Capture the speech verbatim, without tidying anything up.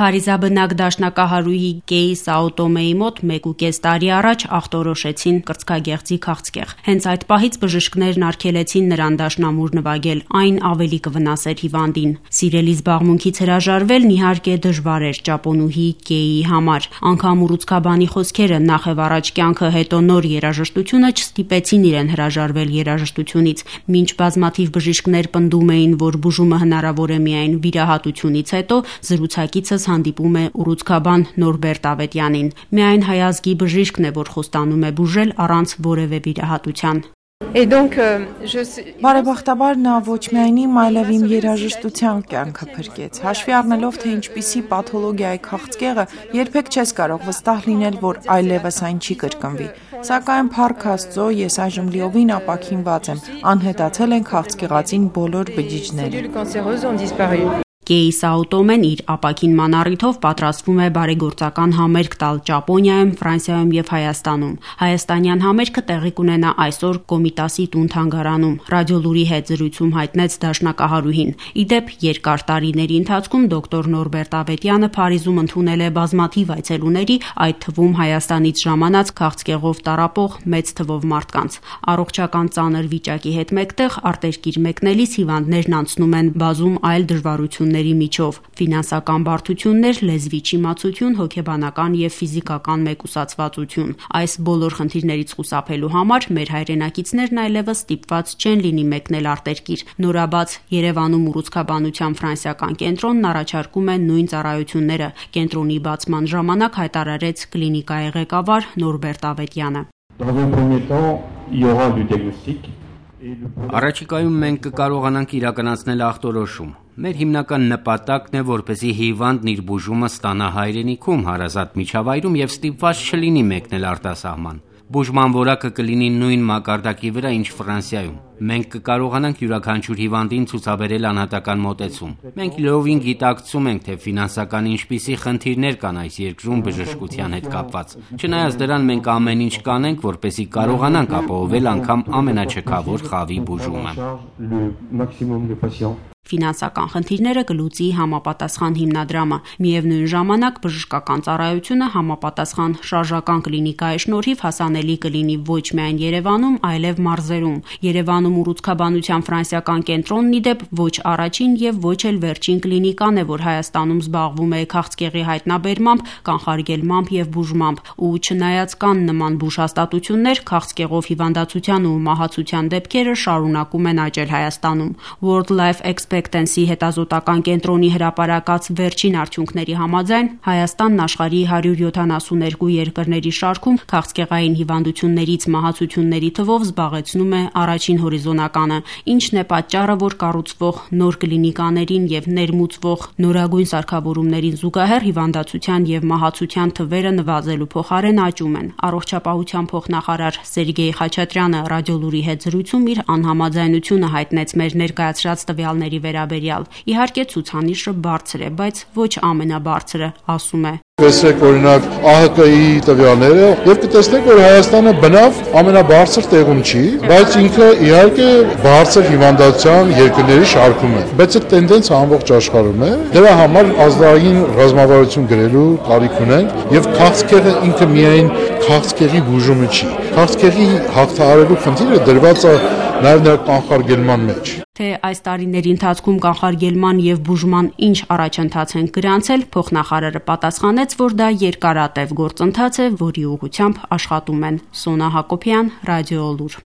Փարիզաբնակ դաշնակահարուհի Կեյ Սաուտոմեի մոտ մեկուկես տարի առաջ աղտորոշեցին կրծքագեղձի քաղցկեղ։ Հենց այդ պահից բժիշկներն արգելեցին նրան դաշնամուր նվագել, այն ավելի կվնասեր հիվանդին։ Սիրելի զբաղմունքից հրաժարվելն իհարկե դժվար էր ճապոնուհի Կեյի համար։ Անգամ ուռուցքաբանի խոսքերը նախ եւ առաջ կյանքը հետո նոր երաժշտությունը չստիպեցին իրեն հրաժարվել երաժշտությունից, մինչ բազմաթիվ բժիշկներ պնդում էին, որ բուժումը հնարավոր է միայն վիրահատությունից հետո, զրուցակիցս հանդիպում է ուռուցքաբան Նորբերտ Ավետյանին։ Միայն հայազգի բժիշկն է, որ խոստանում է բուժել առանց որևէ վիրահատության։ Բարեբախտաբար նա ոչ միայն իմ, այլև իմ երաժշտության կյանքը փրկեց։ Հաշվի առնելով, թե ինչպիսի պաթոլոգիայի քաղցկեղը, երբեք չես կարող վստահ լինել, որ այլևս այն չի կրկնվի։ Սակայն փառք Աստծո, ես այժմ լիովին ապաքինված եմ։ Անհետացել են քաղցկեղածին բոլոր բջիջները։ Կեյ Սաուտոմեն իր ապաքինման առիթով պատրաստվում է բարեգործական համերգ տալ Ճապոնիայում, Ֆրանսիայում եւ Հայաստանում։ Հայաստանյան համերգը տեղի կունենա այսօր Կոմիտասի տուն-թանգարանում։ Ռադիոլուրի հետ զրույցում հայտնեց դաշնակահարուհին։ Իդեպ երկար տարիների ընթացքում դոկտոր Նորբերտ Ավետյանը Փարիզում ընդունել է բազմաթիվ այցելուների, այդ թվում Հայաստանից ժամանած քաղցկեղով տառապող մեծ թվով մարդկանց։ Առողջական ծանր վիճակի հետ մեկտեղ արտերկիր մեկնելիս հիվանդներն անցնում են բազում այլ դժվարություններ միջով՝ ֆինանսական բարդություններ, լեզվի չիմացություն, հոգեբանական եւ ֆիզիկական մեկուսացվածություն։ Այս բոլոր խնդիրներից խուսափելու համար մեր հայրենակիցներն այլևս ստիպված չեն լինի մեկնել արտերկիր։ Նորաբաց Երևանում ուռուցքաբանության ֆրանսիական կենտրոնն առաջարկում է նույն ծառայությունները։ Կենտրոնի բացման ժամանակ հայտարարեց կլինիկայի ղեկավար Նորբերտ Ավետյանը։ Առաջիկայում մենք կկարողանանք իրականացնել ախտորոշում։ Մեր հիմնական նպատակն է, որպեսզի հիվանդն իր բուժումը ստանա հայրենիքում, հարազատ միջավայրում եւ ստիպված չլինի մեկնել արտասահման։ Բուժման որակը կլինի նույն մակարդակի վրա, ինչ Ֆրանսիայում։ Մենք կկարողանանք յուրաքանչյուր հիվանդին ցուցաբերել անհատական մոտեցում։ Մենք լիովին գիտակցում ենք, թե ֆինանսական ինչպիսի խնդիրներ կան այս երկրում բժշկության հետ կապված։ Չնայած դրան, մենք ամեն ինչ կանենք, որպեսզի կարողանանք ապահովել անգամ ամենաչքավոր խավի բուժումը։ Ֆինանսական խնդիրները կլուծի համապատասխան հիմնադրամը։ Միևնույն ժամանակ բժշկական ծառայությունը համապատասխան շարժական կլինիկայի շնորհիվ հասանելի կլինի ոչ միայն Երևանում, այլև մարզերում։ Երևանում ուռուցքաբանության ֆրանսիական կենտրոնն իդեպ ոչ առաջին եւ ոչ էլ վերջին կլինիկան է, որ Հայաստանում զբաղվում է քաղցկեղի հայտնաբերմամբ, կանխարգելմամբ եւ բուժմամբ։ Ու չնայած կան նման բուժհաստատություններ, քաղցկեղով հիվանդացության ու մահացության դեպքերը շարունակում են աճել Հայաստանում։ World Life Expectancy հետազոտական կենտրոնի հրապարակած վերջին արդյունքների համաձայն Հայաստանն աշխարհի հարյուր յոթանասուներկու երկրների շարքում քաղցկեղային հիվանդություններից մահացությունների թվով զբաղեցնում է առաջին հորիզոնականը, ինչն է պատճառը, որ կառուցվող նոր կլինիկաներին եւ ներմուծվող նորագույն սարքավորումներին զուգահեռ հիվանդացության եւ մահացության թվերը նվազելու փոխարեն աճում են։ Առողջապահության փոխնախարար Սերգեյ Խաչատրյանը ռադիոլուրի հետ զրույցում իր անհամաձայնությունը հայտնեց մեր ներկայացրած տվյալների վերաբերյալ։ Իհարկե ցուցանիշը բարձր է, բայց ոչ ամենաբարձրը, ասում է։ Տեսեք օրինակ ԱՀԿ-ի տվյալները եւ կտեսնեք, որ Հայաստանը բնավ ամենաբարձր տեղում չի, բայց ինքը իհարկե բարձր հիվանդության երկրների շարքում է։ Բայց այդ տենդենսը ամբողջ աշխարհում է։ Դրա համար ազգային ռազմավարություն գրելու կարիք ունենք եւ քաղցկեղը ինքը միայն քաղցկեղի բուժումը չի։ Քաղցկեղի հաղթահարելու խնդիրը դրված է նաեւ նրա կանխարգելման մեջ։ Թե այս տարիների ընթացքում կանխարգելման եւ բուժման ինչ առաջընթաց են գրանցել, փոխնախարարը պատասխանեց, որ դա երկարատև գործընթաց է, որի ուղղությամբ աշխատում են։ Սոնա Հակոբյան, Ռադիոլուր։